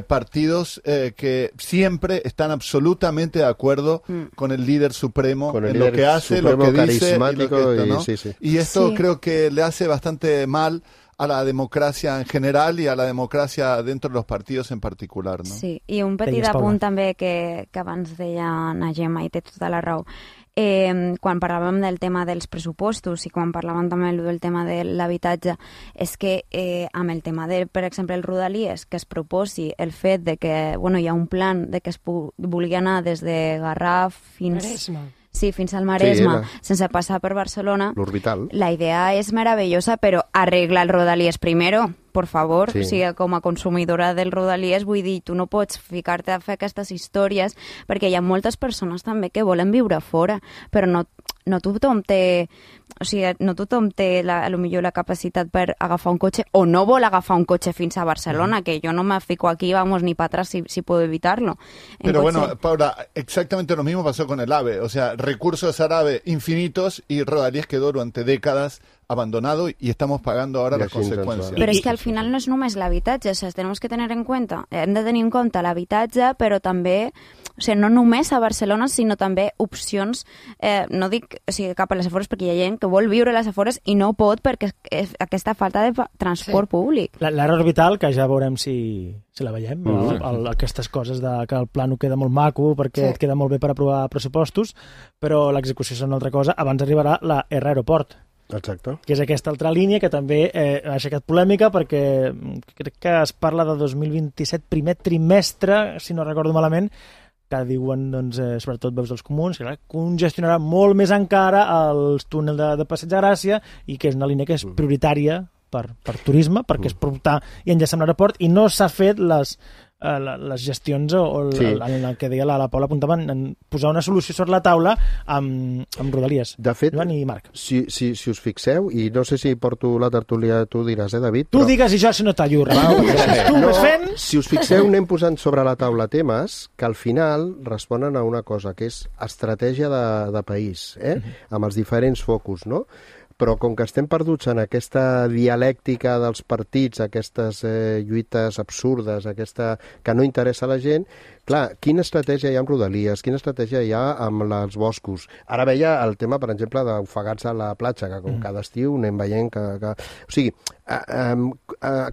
partidos que siempre están absolutamente de acuerdo con el líder supremo en lo que hace, lo que dice y lo que esto, ¿no? Y esto creo que le hace bastante mal a la democràcia en general i a la democràcia dentro de los partidos en particular, no? Sí, i un petit apunt també que abans deia na Gemma i té tota la raó. Quan parlàvem del tema dels pressupostos i quan parlàvem també del tema de l'habitatge, és que amb el tema de, per exemple, el Rodalies, que es proposi el fet de que hi ha un plan de que es vulgui anar des de Garraf fins... Sí, fins al Maresme, sense passar per Barcelona. L'orbital. La idea és meravellosa, però arregla el Rodalies primero, por favor. O sigui, com a consumidora del Rodalies, vull dir, tu no pots ficar-te a fer aquestes històries, perquè hi ha moltes persones també que volen viure fora, però no tothom té... O sigui, no tothom té potser la capacitat per agafar un cotxe o no vol agafar un cotxe fins a Barcelona, que yo no me fico aquí, vamos, ni para atrás si puedo evitarlo. Pero bueno, Paula, exactamente lo mismo pasó con el AVE. O sea, recursos al AVE infinitos y Rodalies quedó durante décadas abandonado y estamos pagando ahora las consecuencias. Però és que al final no és només l'habitatge, o sigui, tenemos que tener en cuenta, hem de tenir en compte l'habitatge, però també, o sigui, no només a Barcelona, sinó també opcions, no dic cap a les afores, perquè hi ha gent que vol viure a les afores i no pot perquè és aquesta falta de transport públic. L'àrea orbital, que ja veurem si la veiem, aquestes coses que el plano queda molt maco perquè et queda molt bé per aprovar pressupostos, però l'execució és una altra cosa. Abans arribarà la R Aeroport. Exacte. Que és aquesta altra línia que també ha aixecat polèmica perquè crec que es parla de 2027, primer trimestre, si no recordo malament, que diuen, doncs, sobretot veus dels comuns, que congestionarà molt més encara els túnels de Passeig de Gràcia i que és una línia que és prioritària per turisme, perquè és portar i enllaçar amb l'aeroport, i no s'ha fet les gestions en el que deia la Paula apuntava en posar una solució sobre la taula amb Rodalies. De fet, Joan i Marc. Si us fixeu, i no sé si porto la tertúlia, tu diràs, David? Tu digues i jo si no t'allurra. Si us fixeu, anem posant sobre la taula temes que al final responen a una cosa, que és estratègia de país, amb els diferents focus, no? Però com que estem perduts en aquesta dialèctica dels partits, aquestes lluites absurdes, aquesta que no interessa a la gent, clar, quina estratègia hi ha amb Rodalies, quina estratègia hi ha amb els boscos. Ara veia el tema, per exemple, d'ofegar-se a la platja, que com cada estiu anem veient que... O sigui,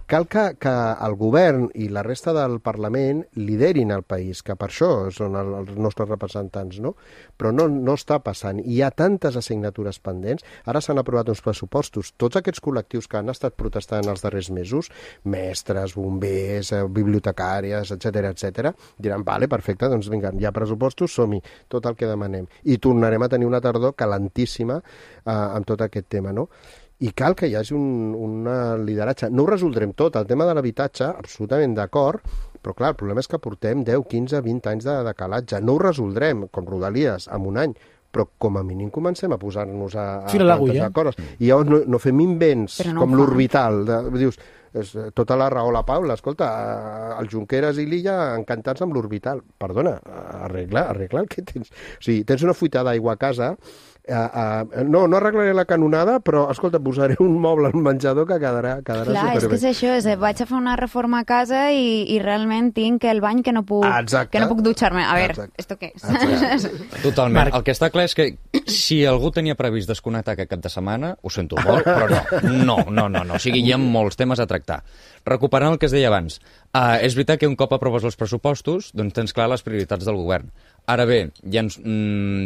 cal que el govern i la resta del Parlament liderin el país, que per això són els nostres representants, no? Però no està passant. Hi ha tantes assignatures pendents. Ara s'han aprovat uns pressupostos. Tots aquests col·lectius que han estat protestant els darrers mesos, mestres, bombers, bibliotecàries, etc., diran, vale, perfecte, doncs vinga, hi ha pressupostos, som-hi, tot el que demanem. I tornarem a tenir una tardor calentíssima amb tot aquest tema, no? I cal que hi hagi un lideratge. No ho resoldrem tot. El tema de l'habitatge, absolutament d'acord, però clar, el problema és que portem 10, 15, 20 anys de calatge. No ho resoldrem, com Rodalies, en un any, però com a mínim comencem a posar-nos a plantejar coses. I llavors no fem invents com l'orbital. Dius, tota la raó la Paula, escolta, el Junqueras i l'Illa encantats amb l'orbital. Perdona, arregla el que tens. O sigui, tens una fuita d'aigua a casa, no arreglaré la canonada, però, escolta, posaré un moble al menjador que quedarà superbé. És que és això, vaig a fer una reforma a casa i realment tinc el bany que no puc dutxar-me. A veure, ¿esto què és? Totalment. El que està clar és que si algú tenia previst desconnectar aquest cap de setmana, ho sento molt, però no. O sigui, hi ha molts temes a tractar. Recuperant el que es deia abans, és veritat que un cop aproves els pressupostos, doncs tens clar les prioritats del govern. Ara bé, hi ha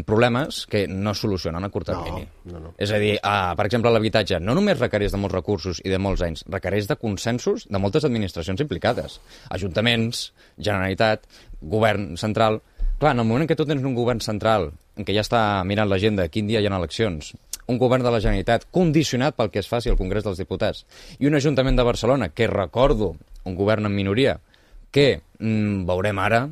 problemes que no solucionen a curt termini. No. És a dir, per exemple, l'habitatge no només requereix de molts recursos i de molts anys, requereix de consensos de moltes administracions implicades. Ajuntaments, Generalitat, govern central... Clar, en el moment en què tu tens un govern central, en què ja està mirant l'agenda quin dia hi ha eleccions, un govern de la Generalitat condicionat pel que es faci al Congrés dels Diputats, i un Ajuntament de Barcelona, que recordo, un govern en minoria, que veurem ara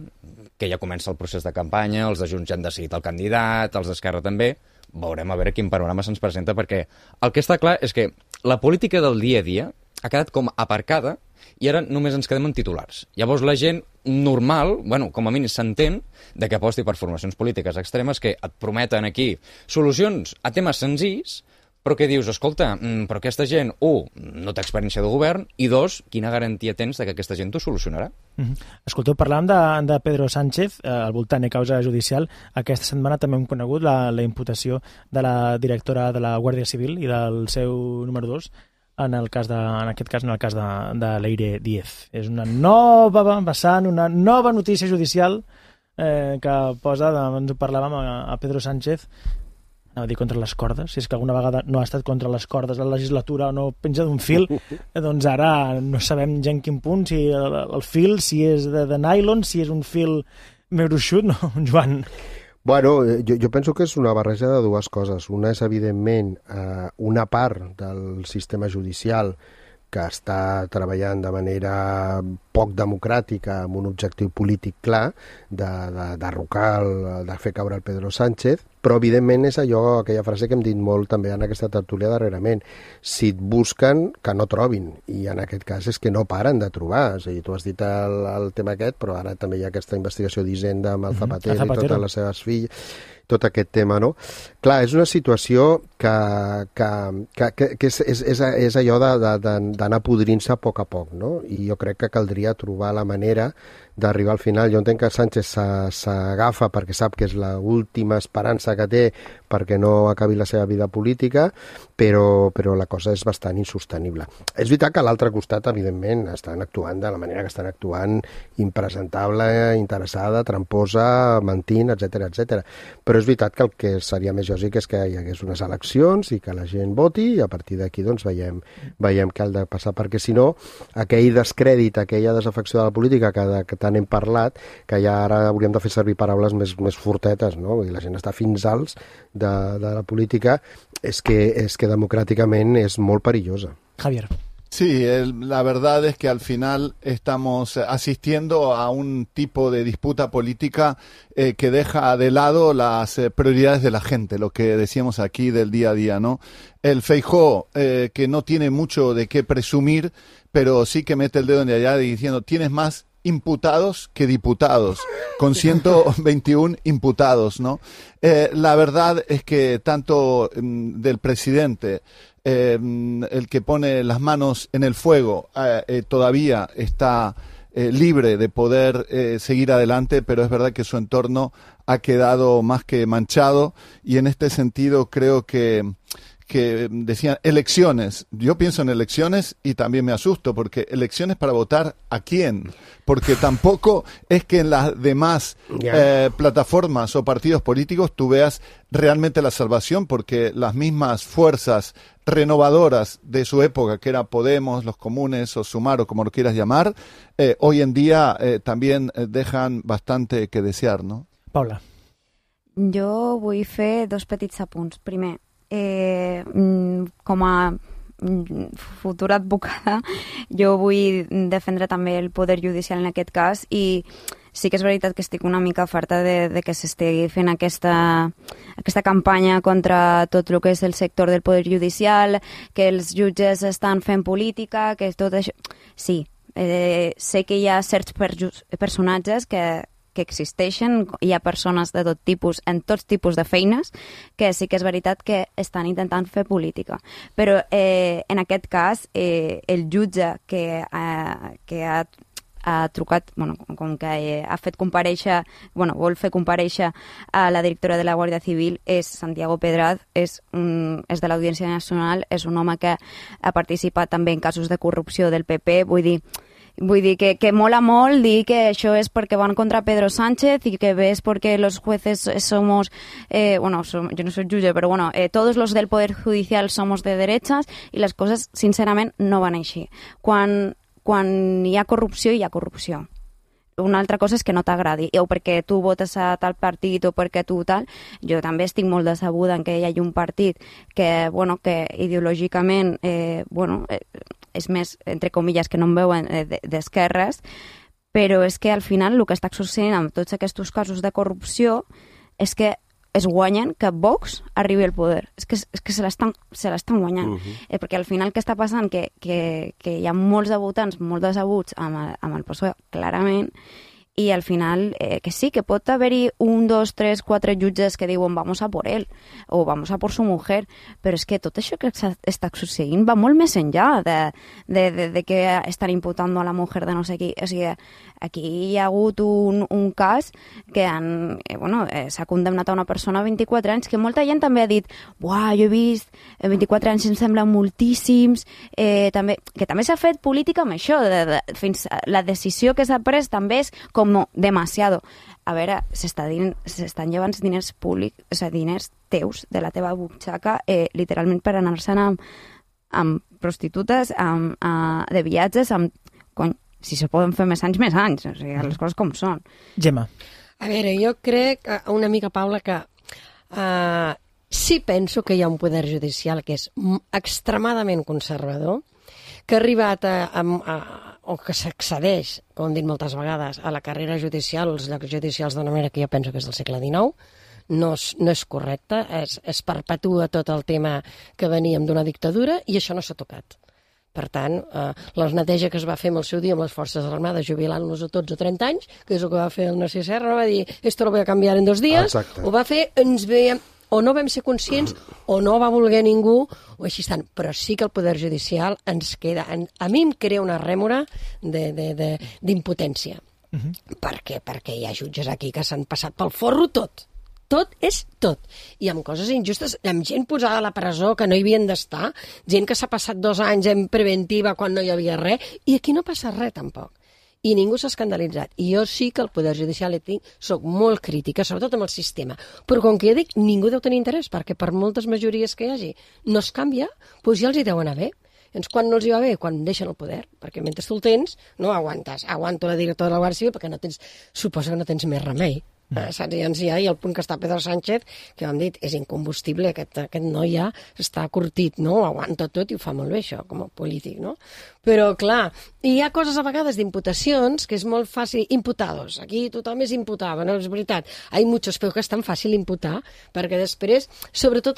que ja comença el procés de campanya, els de Junts ja han decidit el candidat, els d'Esquerra també, veurem a veure quin panorama se'ns presenta, perquè el que està clar és que la política del dia a dia ha quedat com aparcada i ara només ens quedem en titulars. Llavors la gent normal, com a mínim s'entén, de que aposti per formacions polítiques extremes que et prometen aquí solucions a temes senzills, Però què dius? Escolta, però aquesta gent, no té experiència de govern, i dos, quina garantia tens de que aquesta gent t'ho solucionarà? Escolteu, parlàvem de Pedro Sánchez, al voltant de causa judicial. Aquesta setmana també hem conegut la imputació de la directora de la Guàrdia Civil i del seu número 2, en aquest cas de Leire Díez. És una nova vessant, una nova notícia judicial que posa, ens ho parlàvem, a Pedro Sánchez, anava a dir contra les cordes, si és que alguna vegada no ha estat contra les cordes la legislatura o no penja d'un fil, doncs ara no sabem ja en quin punt, si el fil, si és de nylon, si és un fil més gruixut, no, Joan? Bueno, jo penso que és una barreja de dues coses. Una és, evidentment, una part del sistema judicial que està treballant de manera poc democràtica amb un objectiu polític clar de derrocar, de fer caure el Pedro Sánchez, però evidentment és aquella frase que hem dit molt també en aquesta tertúlia darrerament. Si et busquen, que no trobin, i en aquest cas és que no paren de trobar. És a dir, tu has dit el tema aquest, però ara també hi ha aquesta investigació d'Hisenda amb el Zapatero i totes les seves filles, tot aquest tema, no? Clar, és una situació que és allò d'anar podrint-se a poc, no? I jo crec que caldria trobar la manera d'arribar al final. Jo entenc que Sánchez s'agafa perquè sap que és l'última esperança que té perquè no acabi la seva vida política, però la cosa és bastant insostenible. És veritat que a l'altre costat, evidentment, estan actuant de la manera que estan actuant, impresentable, interessada, tramposa, mentint, etc. Però és veritat que el que seria més lògic és que hi hagués unes eleccions i que la gent voti, i a partir d'aquí doncs veiem què ha de passar, perquè si no, aquell descrèdit, aquella desafecció de la política que tant hem parlat, que ja ara hauríem de fer servir paraules més fortetes, no? I la gent està fins alts de la política, és que democràticament és molt perillosa. Javier. Sí, la verdad es que al final estamos asistiendo a un tipo de disputa política que deja de lado las prioridades de la gente, lo que decíamos aquí del día a día, ¿no? El Feijóo, que no tiene mucho de qué presumir, pero sí que mete el dedo en allá diciendo, tienes más imputados que diputados, con 121 imputados, ¿no? La verdad es que tanto del presidente, el que pone las manos en el fuego, todavía está libre de poder seguir adelante, pero es verdad que su entorno ha quedado más que manchado, y en este sentido creo que decían elecciones. Yo pienso en elecciones y también me asusto, porque elecciones para votar ¿a quién? Porque tampoco es que en las demás plataformas o partidos políticos tú veas realmente la salvación, porque las mismas fuerzas renovadoras de su época, que era Podemos, los Comunes o Sumar o como lo quieras llamar, hoy en día también dejan bastante que desear, ¿no? Paula. Jo vull fer dos petits apunts. Primer, com a futura advocada, jo vull defendre també el poder judicial en aquest cas, i sí que és veritat que estic una mica farta de que s'estigui fent aquesta campanya contra tot el que és el sector del poder judicial, que els jutges estan fent política, que tot això... Sí, sé que hi ha certs personatges que existeixen, hi ha persones de tot tipus, en tots tipus de feines, que sí que és veritat que estan intentant fer política. Però en aquest cas, el jutge que ha trucat, com que ha fet comparèixer, vol fer comparèixer a la directora de la Guàrdia Civil, és Santiago Pedraz, és de l'Audiència Nacional, és un home que ha participat també en casos de corrupció del PP, vull dir que mola molt dir que això és perquè van contra Pedro Sánchez i que és perquè los jueces somos, yo no soy jutge, però todos los del Poder Judicial somos de derechas, i les coses, sincerament, no van així. Quan hi ha corrupció, hi ha corrupció. Una altra cosa és que no t'agradi, o perquè tu votes a tal partit o perquè tu tal. Jo també estic molt decebuda en que hi hagi un partit que ideològicament és més, entre comilles, que no em veuen d'esquerres, però és que al final el que està succeint amb tots aquests casos de corrupció és que es guanyen que Vox arribi al poder. És que se l'estan guanyant. Perquè al final què està passant? Que hi ha molts de votants molt decebuts amb el PSOE, clarament, i al final que sí, que pot haver-hi 1, 2, 3, 4 jutges que diuen vamos a por él o vamos a por su mujer, però és que tot això que està succeint va molt més enllà de que estan imputant a la mujer de no sé qui. O sigui, aquí hi ha hagut un cas que s'ha condemnat a una persona a 24 anys, que molta gent també ha dit buah, jo he vist 24 anys em semblen moltíssims, que també s'ha fet política amb això, fins la decisió que s'ha pres també és com demasiado. A veure, s'estan llevant diners públics, o sigui, diners teus de la teva butxaca, literalment per anar-se'n amb prostitutes, de viatges, si se poden fer més anys, o sigui, les coses com són. Gemma. A veure, jo crec, una mica, Paula, que sí penso que hi ha un poder judicial que és extremadament conservador, que ha arribat o que s'accedeix, com hem dit moltes vegades, a la carrera judicial, als llocs judicials d'una manera que jo penso que és del segle XIX, no és correcte, es perpetua tot el tema que veníem d'una dictadura i això no s'ha tocat. Per tant, la neteja que es va fer amb el seu dia amb les forces armades, jubilant-los a tots a 30 anys, que és el que va fer el Narcís Serra, va dir, esto lo voy a cambiar en 2 dies, ho va fer, ens veiem, o no vam ser conscients, o no va voler ningú, o així estan. Però sí que el Poder Judicial ens queda, a mi em crea una rèmora d'impotència. Per què? Perquè hi ha jutges aquí que s'han passat pel forro tot. Tot és tot. I amb coses injustes, amb gent posada a la presó que no hi havien d'estar, gent que s'ha passat 2 anys en preventiva quan no hi havia res, i aquí no passa res tampoc. I ningú s'ha escandalitzat. I jo sí que el Poder Judicial soc molt crítica, sobretot amb el sistema. Però com que ja dic, ningú deu tenir interès, perquè per moltes majories que hi hagi no es canvia, doncs ja els hi deu anar bé. Quan no els hi va bé? Quan deixen el poder. Perquè mentre tu el tens, no aguantes. Aguanto la directora de la Guàrdia Civil perquè suposa que no tens més remei. Saps? I el punt que està Pedro Sánchez, que hem dit, és incombustible, aquest noi ja està curtit, no? Aguanta tot i ho fa molt bé, això, com a polític, no? Però, clar, hi ha coses a vegades d'imputacions que és molt fàcil, imputados, aquí tothom és imputado, no és veritat, hi ha muchos, però que és tan fàcil imputar, perquè després, sobretot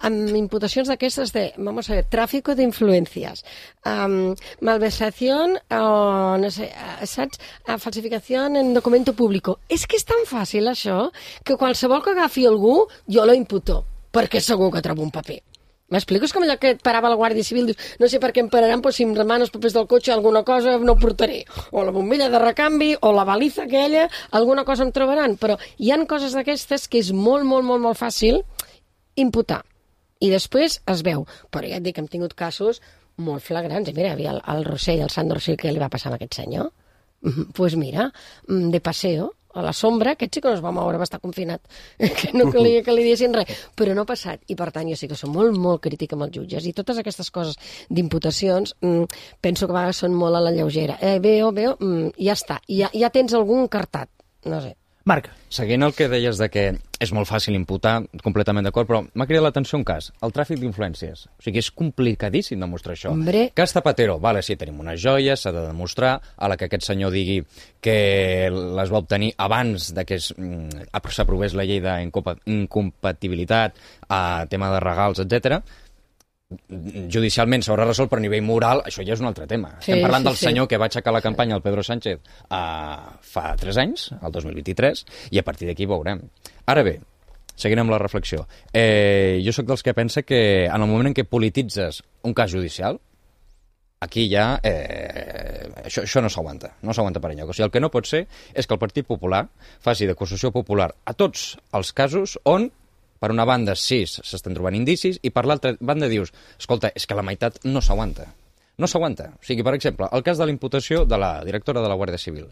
amb imputacions d'aquestes de, vamos a ver, tráfico de influencias, malversación, no sé, saps? Falsificació en documento público. És que és tan fàcil això que qualsevol que agafi algú jo lo imputo, perquè segur que trobo un paper. M'explico? És com allò que et parava la Guàrdia Civil, dius, no sé per què em pararan, però si em demanen els papers del cotxe alguna cosa no portaré. O la bombilla de recanvi, o la baliza aquella, alguna cosa em trobaran. Però hi han coses d'aquestes que és molt, molt, molt, molt fàcil imputar. I després es veu. Però ja et dic que hem tingut casos molt flagrants. I mira, hi havia el Rossell, el Sant Rossell, que li va passar a aquest senyor. Doncs mira, de paseo, a la sombra, aquest sí que no es va moure, va estar confinat. Que no que li diessin res. Però no ha passat. I per tant, jo sí que som molt, molt crítica amb els jutges. I totes aquestes coses d'imputacions penso que a vegades són molt a la lleugera. Veo, ja està. Ja tens algun cartat. No sé. Marc. Seguint el que deies de que és molt fàcil imputar, completament d'acord, però m'ha cridat l'atenció un cas, el tràfic d'influències. O sigui, és complicadíssim demostrar això. Hombre. Cas Zapatero, vale, sí, tenim unes joies, s'ha de demostrar, a la que aquest senyor digui que les va obtenir abans de que s'aprovés la llei d'incompatibilitat, tema de regals, etc. Judicialment s'haurà resolt, però a nivell moral això ja és un altre tema. Estem parlant del senyor que va aixecar la campanya al Pedro Sánchez fa 3 anys, el 2023, i a partir d'aquí veurem. Ara bé, seguint amb la reflexió, jo sóc dels que pensa que en el moment en què polititzes un cas judicial, aquí ja això no s'aguanta, no s'aguanta per enlloc. O sigui, el que no pot ser és que el Partit Popular faci d'acusació popular a tots els casos on per una banda, sí, s'estan trobant indicis, i per l'altra banda dius, escolta, és que la meitat no s'aguanta. No s'aguanta. O sigui, per exemple, el cas de la imputació de la directora de la Guàrdia Civil.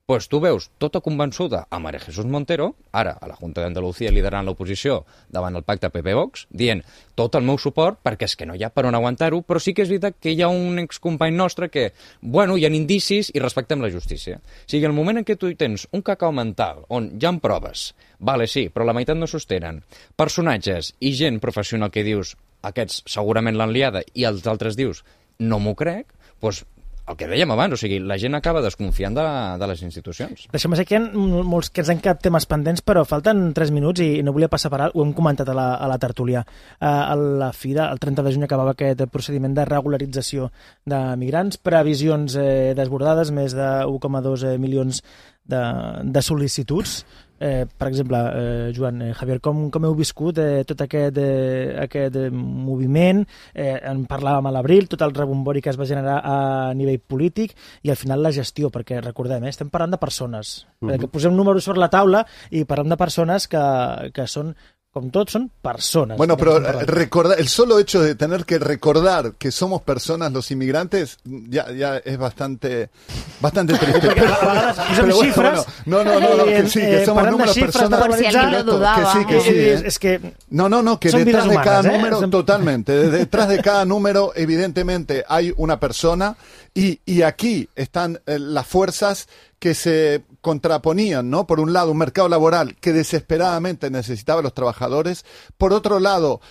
Doncs tu veus tota convençuda a María Jesús Montero, ara a la Junta d'Andalucía liderant l'oposició davant el pacte PP-Vox, dient tot el meu suport perquè és que no hi ha per on aguantar-ho, però sí que és veritat que hi ha un excompany nostre que, bueno, hi ha indicis i respectem la justícia. O sigui, el moment en què tu tens un cacau mental on hi ha proves, vale, sí, però la meitat no sostenen, personatges i gent professional que dius aquests segurament l'han liada i els altres dius no m'ho crec, doncs el que dèiem abans, o sigui, la gent acaba desconfiant de les institucions. Deixem que hi ha molts que ens han quedat temes pendents, però falten 3 minuts i no volia passar per alt, ho hem comentat a la tertúlia. A la fi el 30 de juny acabava aquest procediment de regularització de migrants, previsions desbordades, més de 1,2 milions de sol·licituds. Per exemple, Joan, Javier, com heu viscut tot aquest moviment? En parlàvem a l'abril, tot el rebombori que es va generar a nivell polític i al final la gestió, perquè recordem, estem parlant de persones, que posem números sobre la taula i parlem de persones que són, com tots, son personas. Bueno, pero recordar, el solo hecho de tener que recordar que somos personas los inmigrantes ya es bastante triste. Pero bueno, no, que somos números personas. Que sí. Es que no, que detrás de cada número, totalmente, detrás de cada número, evidentemente, hay una persona y aquí están las fuerzas que se contraponían, ¿no? Por un lado, un mercado laboral que desesperadamente necesitaba a los trabajadores. Por otro lado,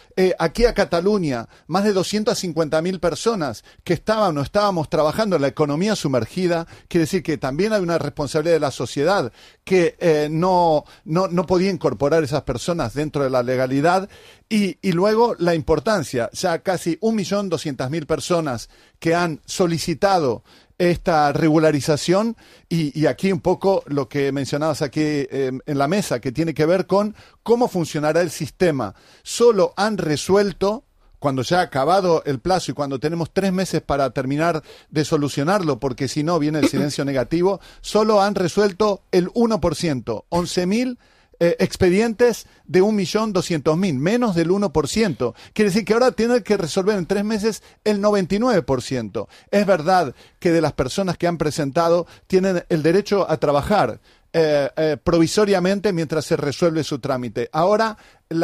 aquí a Cataluña, más de 250.000 personas que estaban o estábamos trabajando en la economía sumergida. Quiere decir que también hay una responsabilidad de la sociedad que no podía incorporar esas personas dentro de la legalidad. Y luego la importancia, ya casi 1.200.000 personas que han solicitado esta regularización y aquí un poco lo que mencionabas aquí en la mesa, que tiene que ver con cómo funcionará el sistema. Solo han resuelto, cuando ya ha acabado el plazo y cuando tenemos 3 meses para terminar de solucionarlo, porque si no viene el silencio negativo, solo han resuelto el 1%, 11.000 expedientes de 1.200.000, menos del 1%. Quiere decir que ahora tienen que resolver en 3 meses el 99%. Es verdad que de las personas que han presentado tienen el derecho a trabajar provisoriamente mientras se resuelve su trámite. Ahora el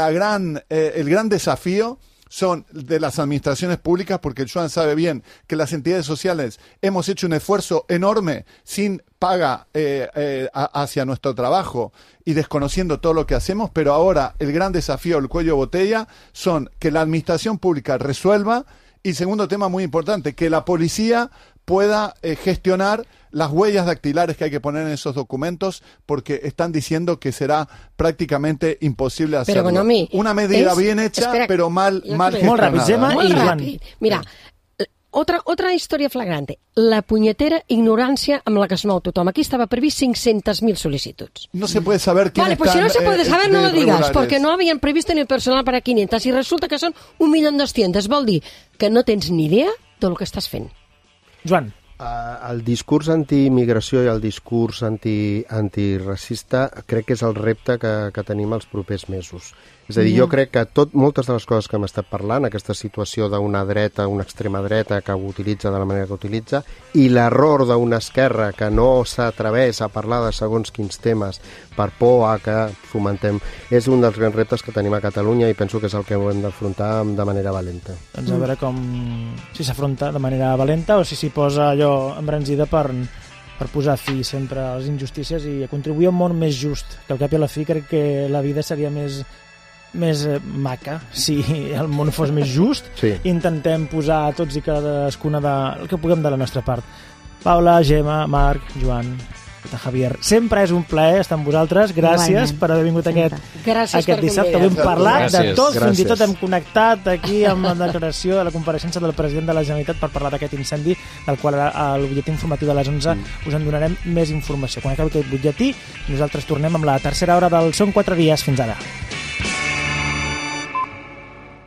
gran desafío son de las administraciones públicas, porque Joan sabe bien que las entidades sociales hemos hecho un esfuerzo enorme sin paga hacia nuestro trabajo y desconociendo todo lo que hacemos, pero ahora el gran desafío, el cuello de botella, son que la administración pública resuelva y, segundo tema muy importante, que la policía pueda gestionar las huellas dactilares que hay que poner en esos documentos, porque están diciendo que será prácticamente imposible hacerlo. Però, bueno, una medida bien hecha, pero mal gestionada. Molt ràpid. Mira, otra història flagrante. La punyetera ignorància amb la que es mou tothom. Aquí estava previst 500.000 sol·licituds. No se puede saber quién vale, pues si no se puede saber, no lo digas, porque no habían previsto ni personal para 500 y resulta que són 1.200.000. Vol dir que no tens ni idea del que estàs fent. Joan. El discurs antiimmigració i el discurs antiracista crec que és el repte que tenim els propers mesos. És a dir, jo crec que moltes de les coses que hem estat parlant, aquesta situació d'una dreta, una extrema dreta que ho utilitza de la manera que utilitza, i l'error d'una esquerra que no s'atreveix a parlar de segons quins temes per por a que fomentem, és un dels grans reptes que tenim a Catalunya i penso que és el que ho hem d'afrontar de manera valenta. Doncs a veure si s'afronta de manera valenta o si s'hi posa allò embranzida per posar fi sempre a les injustícies i a contribuir a un món més just, que al cap i a la fi crec que la vida seria més maca si el món fos més just. Sí. Intentem posar tots i cadascuna el que puguem de la nostra part. Paula, Gemma, Marc, Joan, Javier, sempre és un plaer estar amb vosaltres. Gràcies per haver vingut aquest dissabte. Hem parlat de tot, fins i tot hem connectat aquí amb la declaració de la compareixença del president de la Generalitat per parlar d'aquest incendi, del qual al butlletí informatiu de les 11 us en donarem més informació. Quan acabi aquest butlletí, nosaltres tornem amb la tercera hora del Són 4 dies. Fins ara.